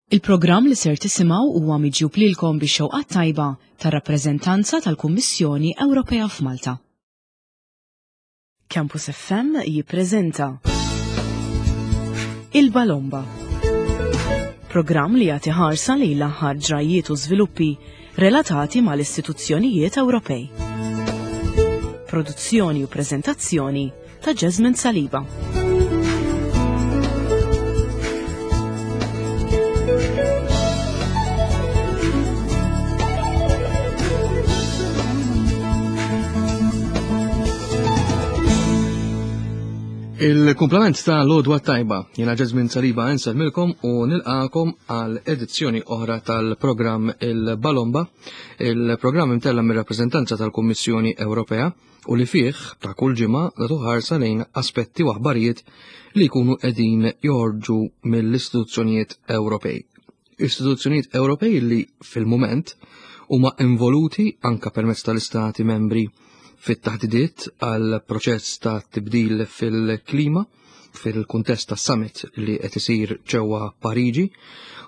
Il-programm li ser tisimgħu huwa miġjub lilkom bix-xewqat tajba tar-rappreżentanza tal-Kummissjoni Ewropea f'Malta. Campus FM jippreżenta Il-Balomba. Programm li jagħti ħarsa lejn l-aħħar ġrajjiet u żviluppi relatati mal-istituzzjonijiet Ewropej. Produzzjoni u preżentazzjoni ta' Jasmine Saliba. Il-kumplament ta' l-odwa tajba, jena Jasmine Saliba milkom u nilqakom għal edizzjoni oħra tal-programm Il-Balomba, il-programm imtella mir-rappreżentanza tal-Kummissjoni Ewropea u li fih ta' kull ġimgħa nagħtu ħarsa lejn aspetti u aħbarijiet li jkunu qegħdin joħorġu mill-istituzzjonijiet Ewropej. Istituzzjonijiet Ewropej li fil-mument huma involuti anka permezz tal-istati membri fit-taħdidiet għal proċess ta' tibdil fil-klima fil-kuntest ta' summit li qed isir ġewwa Pariġi.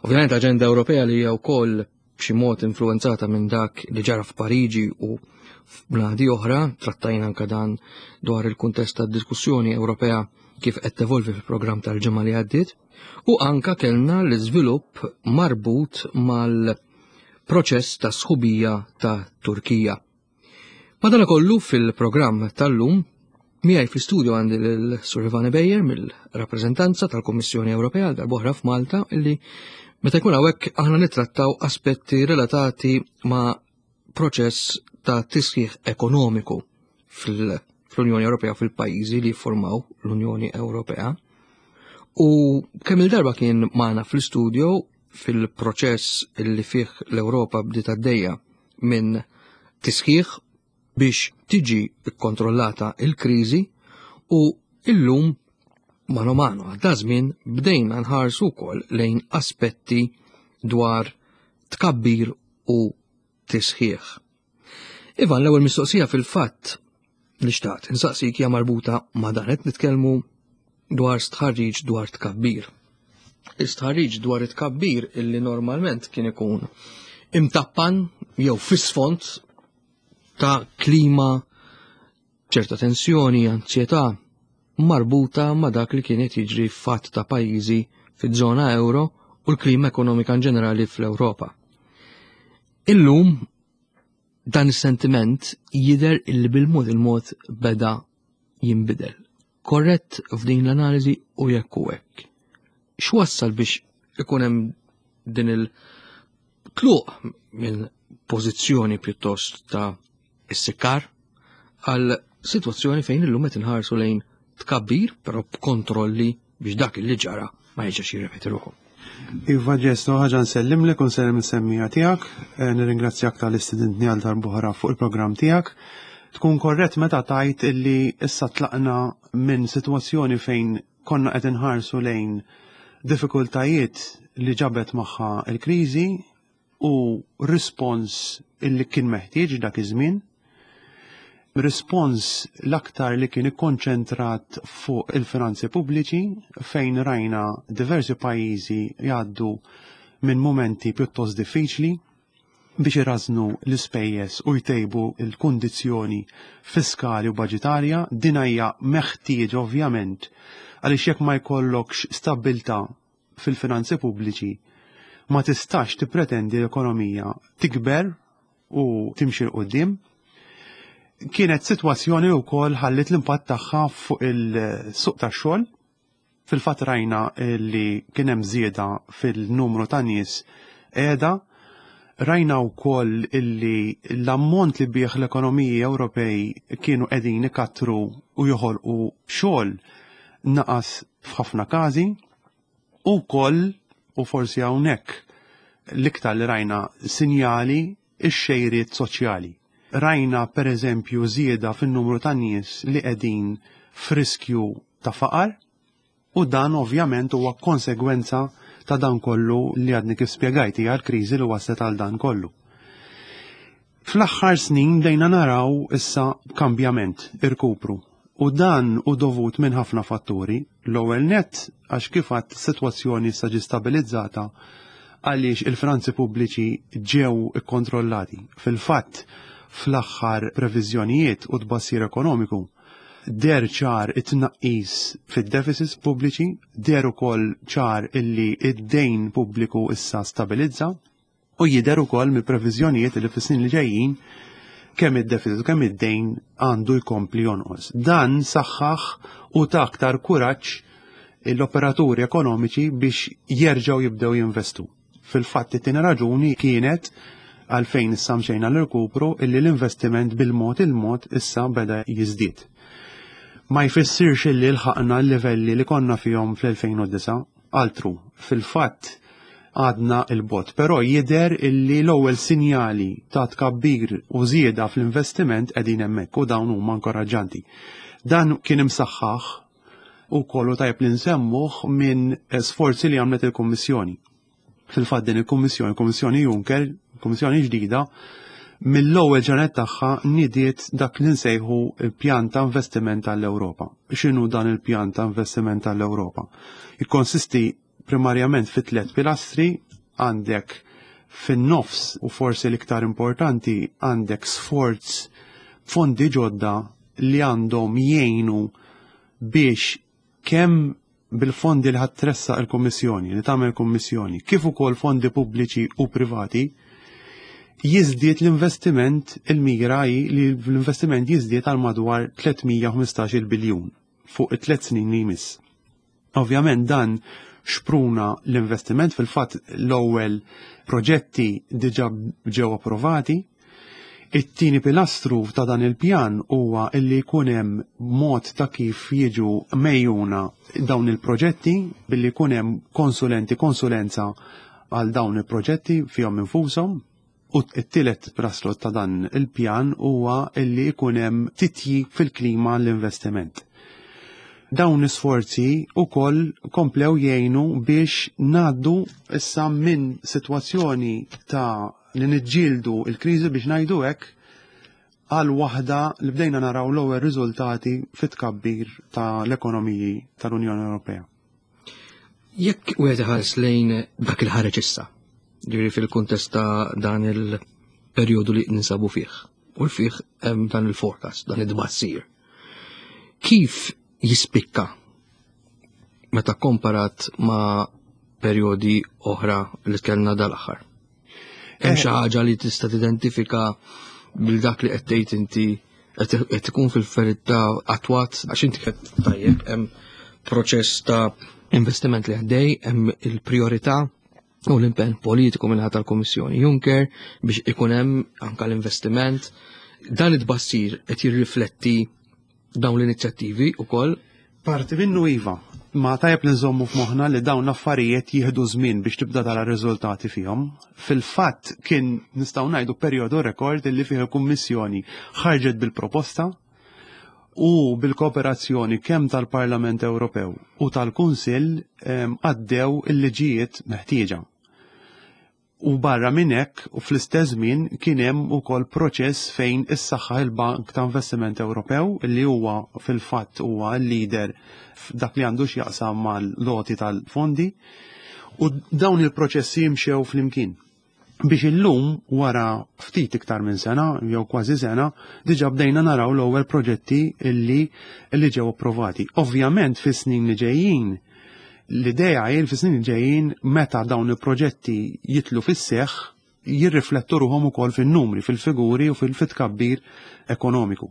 Ovvjament aġenda Ewropea li hija wkoll b'xi mod influenzata minn dak li ġara f'Pariġi u f'bnadi oħra, trattajna anka dan dwar il-kuntest tad-diskussjoni Ewropea kif qed tevolvi fil-programm tal-ġimgħa li għaddiet, u anka kellna l-iżvilupp marbut mal-proċess ta' sħubija ta' Turkija. Madanakollu fil-programm tal-lum miegħi fl-istudio għandi lil Sur Ivane Bejjer mill-rappreżentanza tal-Kummissjoni Ewropea għal darb'oħra f'Malta illi meta jkun hawnhekk aħna nittrattaw aspetti relatati ma' proċess ta' tisħiħ ekonomiku fl-Unjoni Ewropea fil-pajjiżi li jiffurmaw l-Unjoni Ewropea. U kemm il-darba kien magħna fl-istudio fil-proċess li fih l-Ewropa bdiet għaddejja minn tisħiħ biex tiġi kkontrollata il-kriżi u illum mano mano għadda żmien bdejna nħarsu wkoll lejn aspetti dwar tkabbir u tisħiħ. Ivan, l-ewwel mistoqsija fil-fatt li xtaqt insaqsik hija marbuta ma' dan qed nitkellmu dwar stħarriġ dwar tkabbir. Istħarriġ dwar it-tkabbir illi normalment kien ikun imtappan jew fis-sfond ta' klima ċerta tensjoni, anzjetà marbuta ma' dak li kien qed jiġri f'fatt ta' pajjiżi fiż-żona euro u l-klima ekonomika in ġenerali fl-Ewropa. Illum dan is-sentiment jidher illi bil-mod il-mod beda jinbidel. Korrett f'din l-analiżi u jekk u hekk. X'wassal biex ikun hemm din il-tluq minn pożizzjoni pjuttost ta' issikkar għal sitwazzjoni fejn illum qed inħarsu lejn tkabbir, però b'kontrolli biex dak li ġara ma jiġix jirrepeti ruħu. Iva ġesto, ħaġa nsellimlek u nsellem is-semmija tiegħek, eh, nirringrazzjak tal-istudentni għal darbohra fuq il-programm tiegħek. Tkun korrett meta tajt illi issa tlaqna minn sitwazzjoni fejn konna qed inħarsu lejn diffikultajiet li ġabet magħha l-kriżi u rispons illi kien meħtieġ dak iż-żmien. Rispons l-aktar li kien ikkonċentrat fuq il-finanzi pubbliċi fejn rajna diversi pajjiżi jgħaddu minn mumenti pjuttost diffiċli biex irażnu l-ispejjeż u jtejbu l-kundizzjoni fiskali u baġitarja. Din hija meħtieġ ovvjament għaliex jekk ma jkollokx stabbiltà fil-finanzi pubbliċi ma tistax tippretendi l-ekonomija tikber u timxi 'l quddiem. Kienet sitwazzjoni wkoll ħalliet l-impatt tagħha fuq il-suq tax-xogħol. Fil-fatt rajna li kien hemm żieda fil-numru ta' nies qiegħda. Rajna wkoll illi l-ammont li bih l-ekonomiji Ewropej kienu qegħdin ikattru u joħolqu xogħol naqas f'ħafna każi u wkoll u forsi hawnhekk l-iktar li rajna sinjali x-xejriet soċjali. Rajna pereżempju żieda fin-numru ta' nies li qegħdin f'riskju ta' faqar u dan ovvjament huwa konsegwenza ta' dan kollu li għadni kif spjegajt hija l-kriżi li waslet għal dan kollu. Fl-aħħar snin bdejna naraw issa kambjament, irkupru. U dan hu dovut minn ħafna fatturi. L-ewwel nett għax kif għadt is-sitwazzjoni issa ġiet stabilizzata. Għaliex il-finanzi pubbliċi ġew ikkontrollati. Fil-fatt, fl-aħħar previżjonijiet u tbassir ekonomiku, deher ċar it-tnaqqis fid-deficits pubbliċi, deher ukoll ċar illi id-dejn pubbliku issa stabilizza, u jidher ukoll mill-previżjonijiet li fis-snin li ġejjin kemm id-deficit u kemm id-dejn għandu jkompli jonqos. Dan saħħaħ u ta aktar kuraġġ l-operaturi ekonomiċi biex jerġgħu jibdew jinvestu. Fil-fatt it-tieni raġuni kienet għalfejn issa mxejna l-irkupru illi l-investiment bil-mod il-mod issa beda jiżdied. Ma jfissirx illi lħaqna l-livelli li konna fihom fl-2009, altru, fil-fatt għadna 'l bogħod, però jidher illi l-ewwel sinjali ta' tkabbir u żieda fl-investiment qegħdin hemmhekk u dawn huma inkoraġġanti. Dan kien imsaħħaħ ukoll u tajjeb li nsemmuh minn sforzi li għamlet il-Kummissjoni. Fil-fatt din il-Kummissjoni, Kummissjoni Juncker, Kummissjoni ġdida, mill-ewwel ġranet tagħha nidiet dak li nsejħu il-pjan ta' investiment tal-Ewropa. X'inhu dan il-pjan ta' investiment tal-Ewropa? Jikkonsisti primarjament fi tliet pilastri, għandek fin-nofs u forsi l-iktar importanti għandek sforz fondi ġodda li għandhom jgħinu biex kemm bil-fondi li ħa tressaq il-Kummissjoni, li tagħmel Kummissjoni, kif ukoll fondi pubbliċi u privati, jiżdied l-investiment, il-mira hi li l-investiment jiżdied għal madwar 315 biljun fuq it-tliet snin li jmiss. Ovvjament dan xpruna l-investiment, fil-fatt l-ewwel proġetti diġà ġew approvati. It-tieni pilastru ta' dan il-pjan huwa illi jkun hemm mod ta' kif jiġu mejjuna dawn il-proġetti billi jkun hemm konsulenti, konsulenza għal dawn il-proġetti fihom infushom. U t-tielet pilastru ta' dan il-pjan huwa illi jkun hemm titjib fil-klima l-investiment. Dawn l-isforzi ukoll komplew jgħinu biex ngħaddu issa minn sitwazzjoni ta' li niġġieldu l-kriżi biex ngħidu hekk għal waħda li bdejna naraw l-ewwel riżultati fit-tkabbir tal-ekonomiji tal-Unjoni Ewropea. Jekk wieħed iħares lejn dak il-ħareġ issa, ġifieri fil-kuntest ta' dan il-perjodu li ninsabu fih, u fih hemm dan il-forecast, dan id-tbassir. Kif jispikka meta komparat ma' perjodi oħra li kellna dal-aħħar? Hemm xi ħaġa li tista' tidentifika bil dak li qed tgħid inti qed ikun fil-verità attwat għax inti qed tajjeb hemm proċess ta' investiment li għaddej, hemm il-priorità u l-impenn politiku minn tal-Kummissjoni Juncker biex ikun hemm anka l-investiment. Dan it-tbassir qed jirrifletti dawn l-inizjattivi wkoll? Parti minnu iva, ma tajjeb li nżommu f'moħħna li dawn l-affarijiet jieħdu żmien biex tibda tara riżultati fihom. Fil-fatt kien nistgħu ngħidu perjodu rekord li fih il-Kummissjoni ħarġet bil-proposta u bil-kooperazzjoni kemm tal-Parlament Ewropew u tal-Kunsill għaddew il-liġijiet meħtieġa. U barra minn hekk, u fl-istess żmien kien hemm ukoll proċess fejn issaħħaħ il-Bank ta' Investiment Ewropew li huwa fil-fatt huwa l-leader f'dak li għandu x'jaqsam mal-loti tal-fondi. U dawn il-proċessi jimxew flimkien. Biex illum wara ftit iktar minn sena jew kważi sena diġà bdejna naraw l-ewwel proġetti illi li ġew approvati. Ovvjament fis-snin li ġejjin L-idea hi li fis-snin li ġejjin meta dawn il-proġetti jitlu fis-seħħ jirriflettu ruħhom ukoll fin-numri, fil-figuri u fil-tkabbir ekonomiku.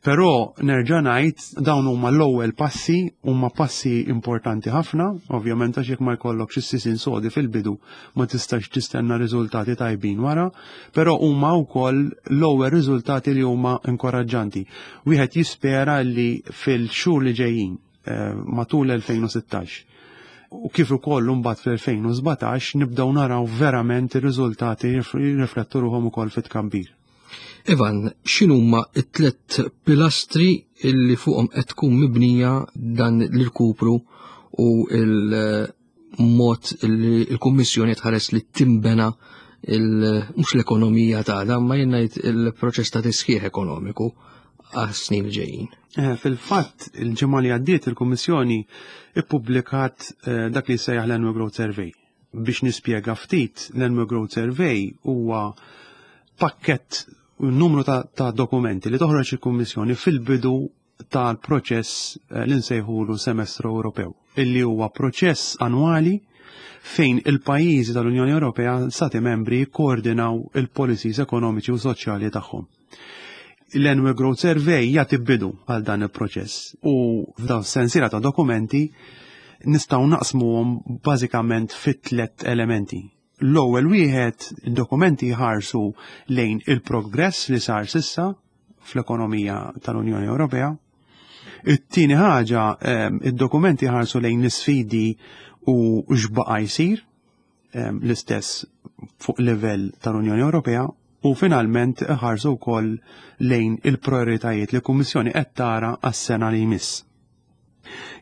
Però nerġa' ngħid dawn huma l-ewwel passi, huma passi importanti ħafna, ovvjament għax jekk ma jkollokx is-sisien sodi fil-bidu ma tistax tistenna riżultati tajbin wara, però huma wkoll l-ewwel riżultati li huma inkoraġġanti. Wieħed jispera li fil-xhur li ġejjin Eh, matul 2016 u kif ukoll imbagħad fl-2017 nibdew naraw verament ir-riżultati jirriflettu ruħhom ukoll fit-tkabbir. Ivan, x'inhuma t-tliet pilastri illi fuqhom qed tkun mibnija dan l-irkupru u il-mod li l-Kummissjoni tħares li timbena mhux l-ekonomija tagħna, ma jien ngħid il-proċess ta' tisħiħ ekonomiku għas-snin li ġejjin. Eh, fil-fatt, il-ġimgħa li għaddiet il-Kummissjoni ippubblikat eh, dak li jsejjaħ l-Annual Growth Survey. Biex nispjega ftit, l-Annual Growth Survey huwa pakkett numru ta', ta dokumenti li toħroġ il-Kummissjoni fil-bidu tal-proċess eh, li nsejħulu semestru Ewropew, illi huwa proċess annwali fejn il-pajjiżi tal-Unjoni Ewropea stati membri jikkoordinaw il-policies ekonomiċi u soċjali tagħhom. L-Annual Growth Survey jagħti bidu għal dan il-proċess u f'dan sensiela ta' dokumenti nistgħu naqsmuhom bażikament fit tliet elementi. L-ewwel wieħed, id-dokumenti jħarsu lejn il-progress li sar sissa fl-ekonomija tal-Unjoni Ewropea. It-tieni ħaġa, ehm, id-dokumenti jħarsu lejn l-isfidi u x'baqa' jsir ehm, l-istess fuq livell tal-Unjoni Ewropea u finalment ħarsu wkoll lejn il-prioritajiet li l-Kummissjoni qed tara għas-sena li jmiss.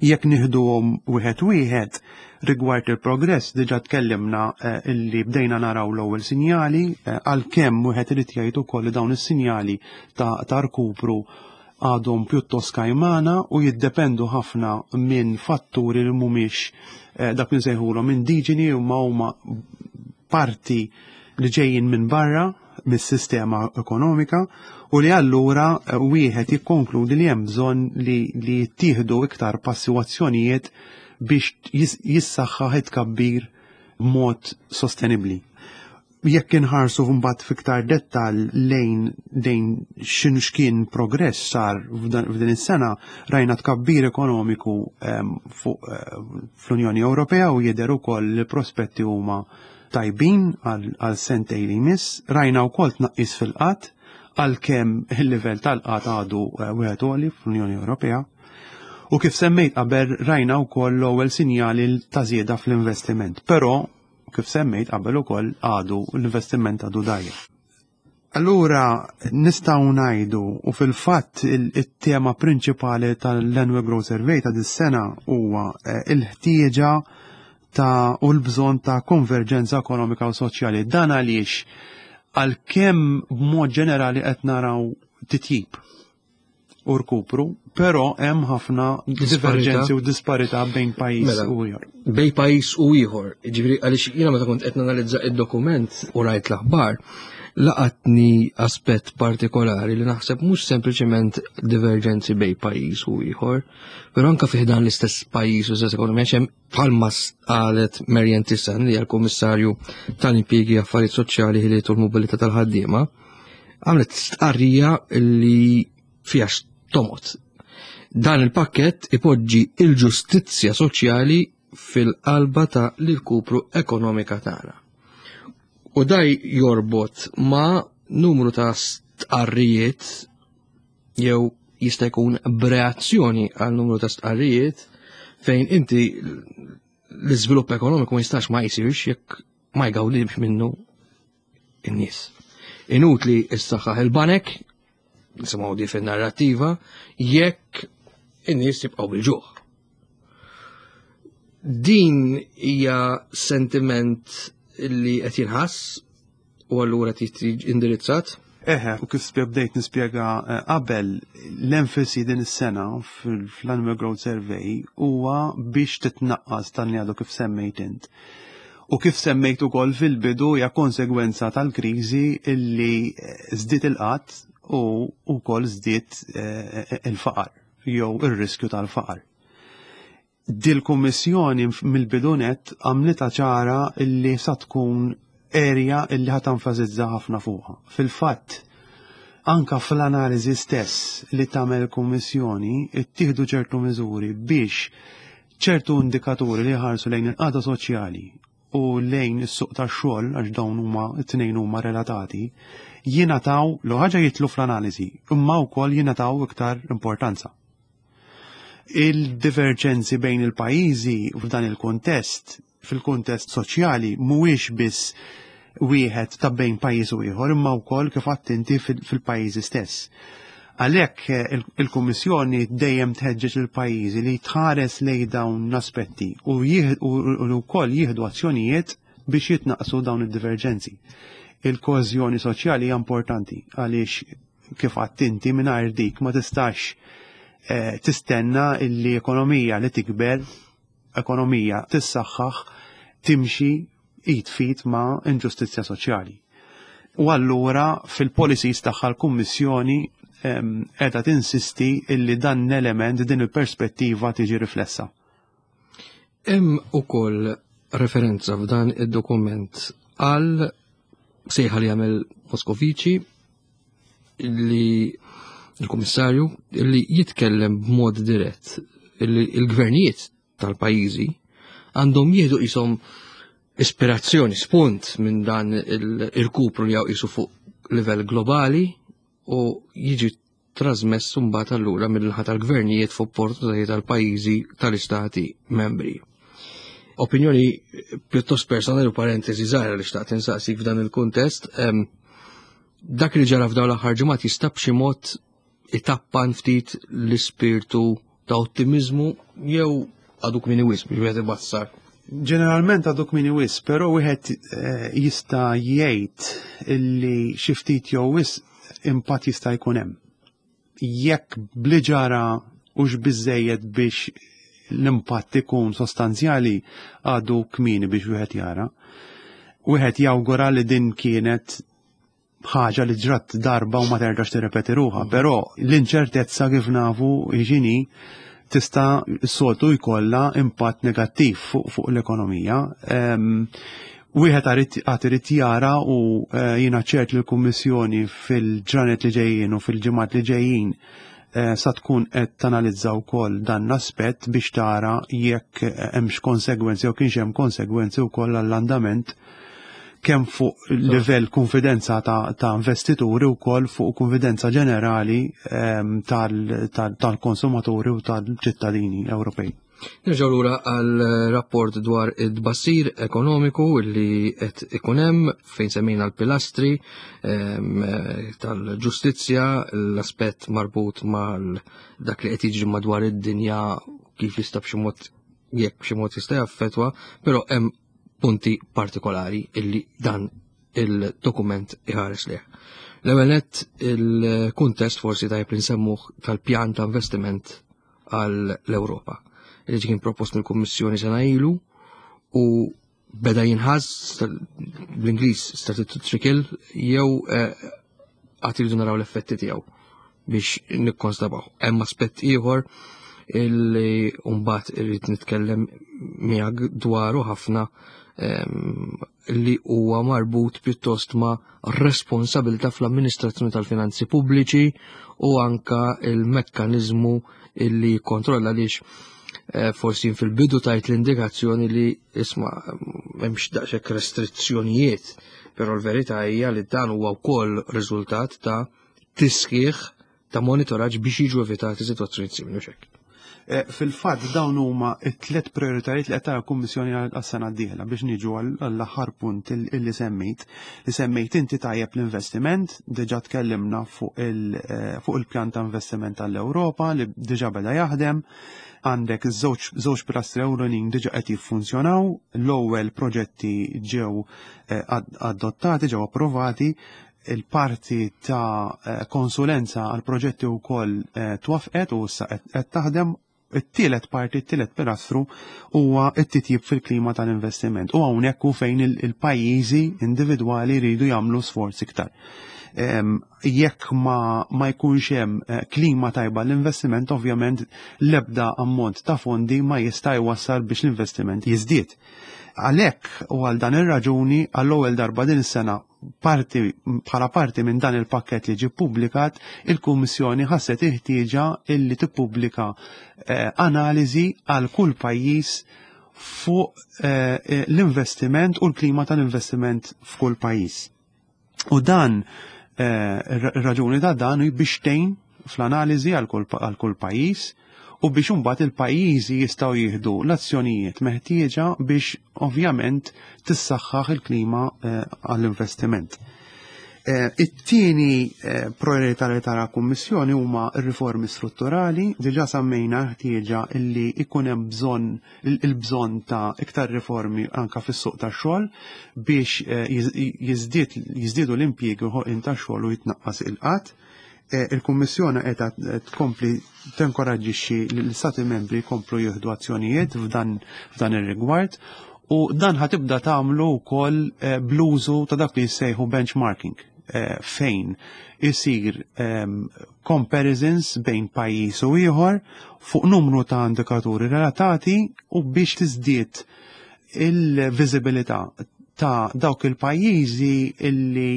Jekk nieħduhom wieħed wieħed, rigward il-progress diġà tkellimna eh, illi bdejna naraw l-ewwel sinjali eh, għalkemm wieħed irid jgħid ukoll li dawn is-sinjali ta' rkupru għadhom pjuttost kajmana u jiddependu ħafna minn fatturi li mhumiex eh, dak li nsejħulhom indiġeni u ma huma parti li ġejjin minn barra mis-sistema ekonomika u li allura eh, wieħed jikkonkludi li hemm bżonn li, li jittieħdu iktar passi u azzjonijiet biex jissaħħaħ it-tkabbir b'mod sostenibbli. Jekk inħarsu mbagħad fiktar dettal lejn lejn x'inhu x'kien progress sar f'din is-sena, rajna tkabbir ekonomiku ehm, fuq eh, fl-Unjoni Ewropea u jidher ukoll li prospetti huma tajbin għal sentej li jmiss, rajna wkoll tnaqqis fil-qatt għalkemm il-livell tal-qatt għadu eh, wieħed għoli fl-Unjoni Ewropea. U kif semmejt qabel rajna wkoll l-ewwel sinjali ta' żieda fl-investiment, però kif semmejt qabel ukoll għadu l-investiment għadu dajja. Allura nistgħu ngħidu u fil-fatt it-tema prinċipali tal-Annual Growth Survey ta' dis-sena huwa eh, il-ħtieġa ta' u l-bżonn ta' konverġenza ekonomika u soċjali. Dan għaliex għalkemm b'mod ġenerali qed naraw titjib u rkupru, però hemm ħafna diverġenzi u disparità bejn pajjiż mela, u ieħor. Bejn pajjiż u ieħor, ġifieri għaliex jiena meta kont qed nanalizza id-dokument u rajt l-aħbar, laqatni aspett partikolari li naħseb mhux sempliċement diverġenzi bejn pajjiż u ieħor, però anke fih dan l-istess pajjiż u stess ekonomija hemm bħalma qalet Marian Tissan li hija l-Kummissarju tal-Impjiegi Affarijiet Soċjali Ħiliet u l-Mobilità tal-Ħaddiema, għamlet stqarrija li fiha tomot. Dan il-pakket ipoġġi il-ġustizzja soċjali fil-qalba ta' l-irkupru ekonomika tagħna. U daj jorbot ma' numru ta' stqarrijiet jew jista' jkun b'reazzjoni għal numru ta' stqarrijiet fejn inti l-iżvilupp ekonomiku ma jistax ma jsirx jekk ma jgawdix minnu in-nies. Inutli issaħħaħ il-banek, nisimgħu di fin-narrattiva, jekk in-nies jibqgħu bil-ġuħ. Din hija sentiment li qed jinħass u allura trid tiġi indirizzat? Eħe, u kif bdejt nispjega eh, qabel, l-enfasi din is-sena fl-Annual Growth Survey huwa biex titnaqqas tan li għadu kif semmejt int. U kif semmejt ukoll fil-bidu hija konsegwenza tal-kriżi illi eh, żdied il-qatt u wkoll żdied eh, il-faqar jew ir-riskju tal-faqar. Dil-Kummissjoni mill-bidu nett għamlitha ċara illi sa tkun area illi ħa tenfasizza ħafna fuqha. Fil-fatt, anka fl-analiżi stess li tagħmel il-Kummissjoni ittieħdu ċertu miżuri biex ċertu indikaturi li jħarsu lejn il-qagħda soċjali u lejn is-suq tax-xogħol għax dawn huma t-tnejn huma relatati, jingħataw l ħaġa jitlu fl-analiżi, imma wkoll jingħataw iktar importanza. Il-diverġenzi bejn il-pajjiżi f'dan il-kuntest, fil-kuntest soċjali, mhuwiex biss wieħed ta' bejn pajjiż u ieħor, imma wkoll kif għadt inti fil-pajjiżi stess. Għalhekk eh, il-Kummissjoni dejjem tħeġġeġ il-pajjiżi li tħares lejn dawn l-aspetti u wkoll jieħdu azzjonijiet biex jitnaqsu dawn id-diverġenzi. Il-koeżjoni soċjali hija importanti għaliex kif għadt inti mingħajr dik ma tistax eh, tistenna illi ekonomija li tikber, ekonomija tissaħħaħ timxi id f'id ma' inġustizzja soċjali. U allura fil-policies tagħha l-Kummissjoni qiegħda tinsisti illi dan l-element, din il-perspettiva tiġi riflessa. Hemm ukoll referenza f'dan id-dokument għal sejħa li jagħmel Moscovici li il-Kummissarju li jitkellem b'mod dirett li l-gvernijiet tal-pajjiżi għandhom jieħdu qishom ispirazzjoni, spunt minn dan il-kupru li qisu fuq livell globali u jiġi trasmess mbagħad allura mill-naħa tal-gvernijiet f'opportunitajiet tal-pajjiżi tal-istati membri. Opinjoni pjuttost personali u parentesi żgħira li xtaqt insaqsik f'dan il-kuntest, dak li ġara f'dawn l-aħħar ġimgħat jista' b'xi mod itappan ftit l-ispirtu ta' ottimizmu jew għadu kmini wisq biex wieħed ibassar? Ġeneralment għadu kmini wisq, però wieħed jista' jgħid illi xi ftit jew wisq impatt jista' jkun hemm. Jekk bli ġara hux biżejjed biex l-impatt ikun sostanzjali għadu kmini biex wieħed jara. Wieħed jawgura li din kienet ħaġa li ġrat darba u ma terġax tirrepeti ruħha, però l-inċertezza kif nafu x'inhi tista' s-soltu jkollha impatt negattiv fuq l-ekonomija. Wieħed għad irid jara u jiena ċert li l-Kummissjoni fil-ġranet li ġejjin u fil-ġimgħat li ġejjin sa tkun qed tanalizza wkoll dan l-aspett biex tara jekk hemmx konsegwenzi jew kienx hemm konsegwenzi wkoll għall-andament kemm fuq livell konfidenza ta' investituri wkoll fuq konfidenza ġenerali tal-konsumaturi u tal-ċittadini Ewropej. Nerġgħu lura għal rapport dwar id-bassir ekonomiku li qed ikun hemm fejn semmejna l-pilastri tal-ġustizzja, l-aspett marbut mal dak li qed jiġri madwar id-dinja kif jista' b'xi mod jekk b'xi mod jista' jaffettwa, però hemm punti partikolari illi dan il-dokument iħares leh. L-ewwel nett il-kuntest forsi tajjeb li nsemmuh tal-pjan ta' investiment għall-Ewropa. Li kien propost mill-Kummissjoni sena ilu u beda jinħass bl-Ingliż started to trickle jew għad iridu naraw l-effetti tiegħu biex nikkonstabaw. Hemm aspett ieħor illi mbagħad irrid nitkellem miegħek dwaru ħafna li huwa marbut pjuttost ma' responsabilità fl-amministrazzjoni tal-finanzi pubbliċi u anka il-mekkaniżmu illi jikkontrolla għaliex forsi fil-bidu tajt l-indikazzjoni li isma' m'hemmx daqshekk restrizzjonijiet, però l-verità hija li dan huwa wkoll riżultat ta' tisħiħ ta' monitoraġġ biex jiġu evitati sitwazzjonijiet simili u x'hekk. Fil-fatt dawn huma t-tliet prioritajiet li qed tara l-Kummissjoni għas-sena d-dieħla biex niġu għall-aħħar punt illi semmejt. Li semmejt inti tajjeb l-investiment, diġà tkellimna fuq il-pjan ta' investiment tal-Ewropa li diġà beda jaħdem. Għandek żewġ pilastri ewlenin diġà qed jiffunzjonaw, l-ewwel proġetti ġew adottati, ġew approvati, il-parti ta' konsulenza għal proġetti wkoll twafqet u issa qed taħdem. It-tielet parti, it-tielet pilastru huwa t-titjib fil-klima tal-investiment. U hawnhekk hu fejn il-pajjiżi individwali jridu jagħmlu sforz iktar. Jekk ma jkunx hemm klima tajba l-investiment, ovvjament l-ebda ammont ta' fondi ma jista' jwassal biex l-investiment jiżdied. Għalhekk u għal dan ir-raġuni għall-ewwel darba din is-sena bħala parti minn dan il-pakket li ġie ppubblikat, il-Kummissjoni ħasset il-ħtieġa illi tippubblika analiżi għal kull pajjiż fuq l-investiment u l-klima tal-investiment f'kull pajjiż. U dan ir-raġuni ta' dan hi biex tgħin fl-analiżi għal kull pajjiż u biex imbagħad il-pajjiżi jistgħu jieħdu l-azzjonijiet meħtieġa biex ovvjament tissaħħaħ il-klima għall-investiment. It-tieni priorità li tara Kummissjoni huma r-riformi strutturali. Diġà semmejna ħtieġa illi ikun hemm il-bżonn ta' iktar riformi anka fis-suq tax-xogħol biex jiżdiedu l-impjiegi u ħolqien tax-xogħol u jitnaqqas il-qatt. Il-Kummissjoni qed tkompli tenkoraġġixxi l-Istati membri jkomplu jieħdu azzjonijiet f'dan ir-rigward. U dan ħatibda tagħmlu wkoll eh, bl-użu ta' dak li jissejħu benchmarking eh, fejn isir ehm, comparisons bejn pajjiż u ieħor fuq numru ta' indikaturi relatati u biex tiżdied il-viżibilità ta' dawk il-pajjiżi illi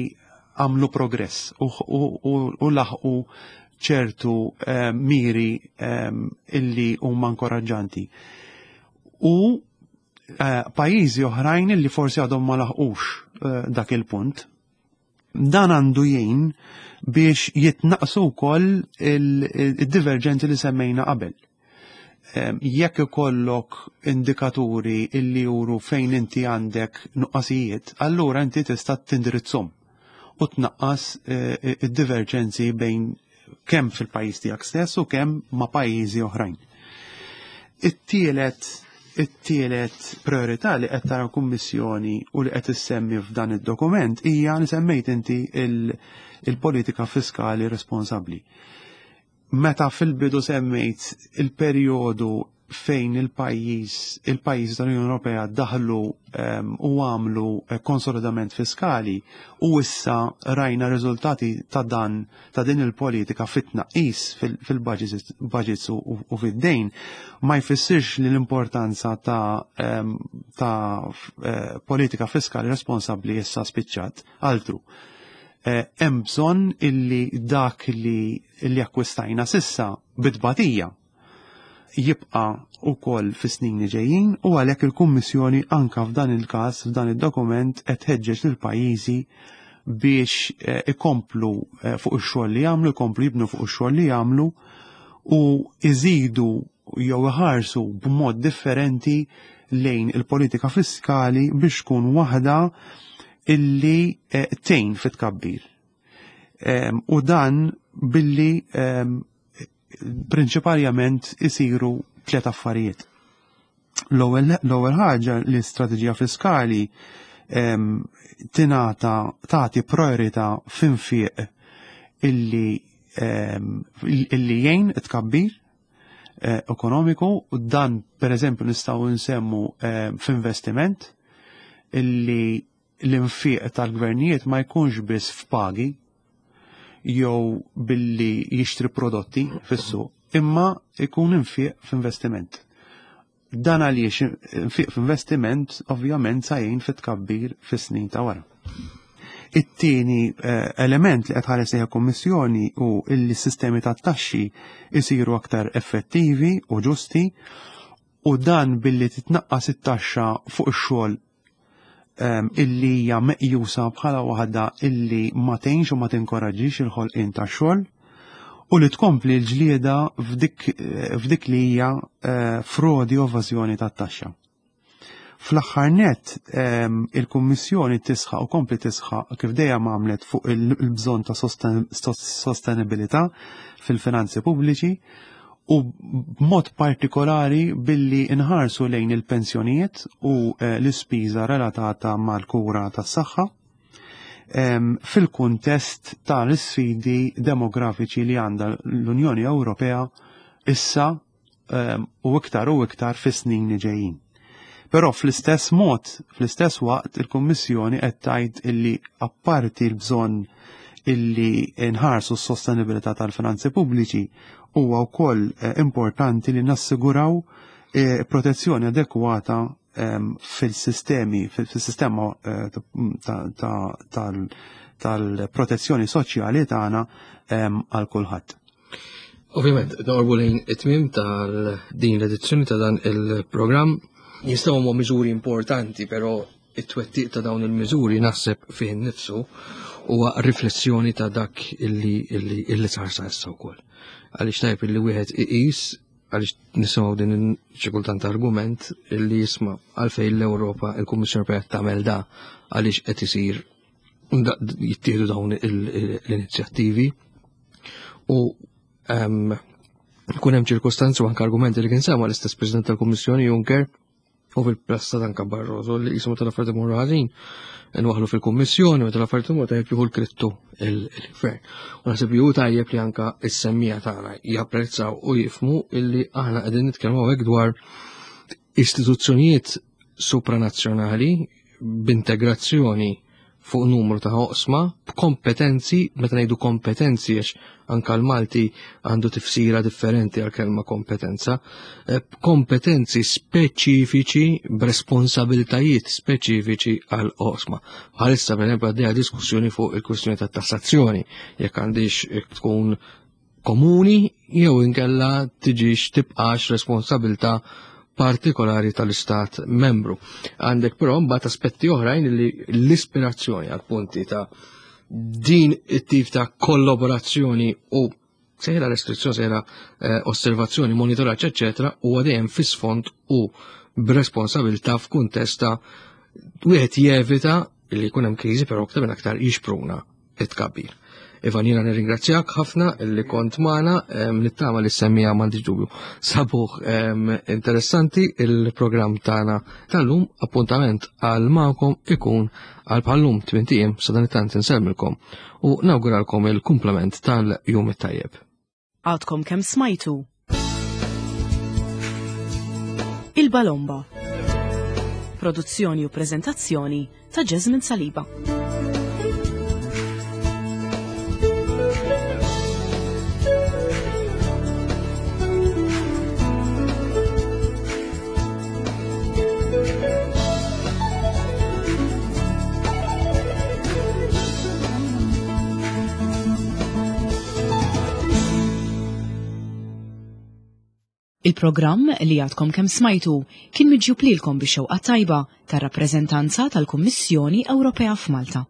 għamlu progress u, u, u, u laħqu ċertu eh, miri eh, illi huma inkoraġġanti. U eh, pajjiżi oħrajn illi forsi għadhom ma laħqux eh, dak il-punt. Dan għandu jgħin biex jitnaqsu wkoll il-diverġenzi li semmejna qabel. Jekk ikollok indikaturi illi juru fejn inti għandek nuqqasijiet, allura inti tista' tindirizzhom u tnaqqas eh, id-diverġenzi bejn kemm fil-pajjiż tiegħek stess u kemm ma' pajjiżi oħrajn. It-tielet it-tielet priorità li qed tara kummissjoni u li qed issemmi f'dan id-dokument hija li semmejt inti il-politika fiskali responsabbli. Meta fil-bidu semmejt il-perjodu fejn il-pajjiż il-pajjiż tal-Unjoni Ewropea daħlu ehm, u għamlu eh, konsolidament fiskali u issa rajna riżultati ta' dan ta' din il-politika fit-tnaqqis fil-budgets u fid-dejn ma jfissirx li l-importanza ta', ehm, ta eh, politika fiskali responsabbli issa spiċċat altru. Eh, hemm bżonn illi dak li li akkwistajna sissa bitbatija jibqa' ukoll fis-snin li ġejjin u għalhekk il-Kummissjoni anka f'dan il-każ f'dan id-dokument qed tħeġġeġ lil pajjiżi biex eh, ikomplu eh, fuq ix-xogħol li jagħmlu, ikomplu jibnu fuq ix-xogħol li jagħmlu u iżidu jew iħarsu b'mod differenti lejn il-politika fiskali biex tkun waħda illi eh, tgħin fit-tkabbir. U dan billi prinċipalment isiru tliet affarijiet. L-ewwel ħaġa l-istrateġija fiskali tingħata tagħti priorità f'infiq illi illi jgħin it-tkabbir eh, ekonomiku u dan pereżempju nistgħu nsemmu f'investiment illi l-infiq tal-gvernijiet ma jkunx biss f'pagi jew billi jixtri prodotti fis-suq, imma jkun infiq f'investiment. Dan għaliex infiq f'investiment ovvjament sa jgħin fit-tkabbir fis-snin ta' wara. It-tieni eh, element li qed ħares lejha kummissjoni hu illi s-sistemi tat-taxxi jsiru aktar effettivi u ġusti u dan billi titnaqqas it-taxxa fuq ix-xogħol ehm, illi hija meqjusa bħala waħda illi ma tgħinx u ma tinkoraġġix il-ħolqien tax-xogħol u li tkompli l-ġlieda f'dik li hija eh, frodi u evażjoni tat-taxxa. Fl-aħħar net ehm, il-Kummissjoni tisħaq u kompli tisħaq kif dejjem għamlet fuq il-bżonn ta' sostenibilità fil-finanzi pubbliċi u b'mod partikolari billi nħarsu lejn il-pensjonijiet u eh, l-ispiża relatata mal-kura tas-saħħa ehm, fil-kuntest tal-isfidi demografiċi li għandha l-Unjoni Ewropea issa ehm, u iktar u iktar fis-snin li ġejjin. Però fl-istess mod, fl-istess waqt, il-Kummissjoni qed tgħid illi apparti l-bżonn illi nħarsu s-sostenibilità tal-finanzi pubbliċi huwa wkoll eh, importanti li nassiguraw eh, protezzjoni adekwata ehm, fil-sistemi, fil-sistema eh, tal-protezzjoni soċjali tagħna ehm, għal kulħadd. Ovvjament, norbu lejn it-tmim tal-din l-edizzjoni ta' dan il-programm. Jistgħu huma miżuri importanti, però it-twettiq ta' dawn il-miżuri naħseb fih innifsu huwa riflessjoni ta' dak illi illi illi sar sa issa wkoll. Għaliex tajb illi wieħed iqis għaliex nisimgħu din xi kultant argument illi jisma' għalfejn l-Ewropa il-Kummissjoni Ewropea tagħmel da għaliex qed isir jittieħdu dawn l-inizjattivi u ehm, kun hemm ċirkostanzi u anke argumenti li kien sema l-istess President tal-Kummissjoni Juncker u fil-pressa anke Barroso li jismu tal-affarijiet imorru ħażin nwaħlu fil-Kummissjoni u tal-affarijiet imorru tajjeb jieħu l-krittu il-gvern. U naħseb li hu tajjeb li anke s-semmija tagħna japprezzaw u jifmu illi aħna qegħdin nitkellmu hawnhekk dwar istituzzjonijiet supranazzjonali b'integrazzjoni fuq numru ta' oqsma b'kompetenzi, meta ngħidu kompetenzi għax anka l-Malti għandu tifsira differenti għal kelma kompetenza, eh, b'kompetenzi speċifiċi b'responsabiltajiet speċifiċi għal oqsma. Bħalissa per eżempju għaddejja diskussjoni fuq il-kwistjoni ta' tassazzjoni, jekk għandix tkun komuni jew inkella tiġix tibqax responsabilta partikolari tal-istat membru. Għandek però mbagħad aspetti oħrajn li l-ispirazzjoni għal punti ta' din it-tip ta' kollaborazzjoni u sejra restrizzjoni, sejra eh, osservazzjoni, monitoraġġ, eċċetera, huwa dejjem fis-sfond u b'responsabilità f'kuntest ta' wieħed jevita li jkun hemm kriżi però aktar minn aktar jixpruna it-tkabbir. Ivan, jiena nirringrazzjak ħafna li kont magħna, nittama li semmija m'għandix dubju. Sabuħ interessanti il-programm tagħna tal-lum, appuntament għal magħkom ikun għal bħallum tmint ijiem sa dan it-tant insellmilkom u nawguralkom il-kumplament tal-jum it-tajjeb. Għadkom kemm smajtu Il-Balomba. Produzzjoni u preżentazzjoni ta' Jasmine Saliba. Il-programm li għadkom kemm smajtu kien miġjub lilkom bix-xewqa tajba tar-rappreżentanza tal-Kummissjoni Ewropea f'Malta.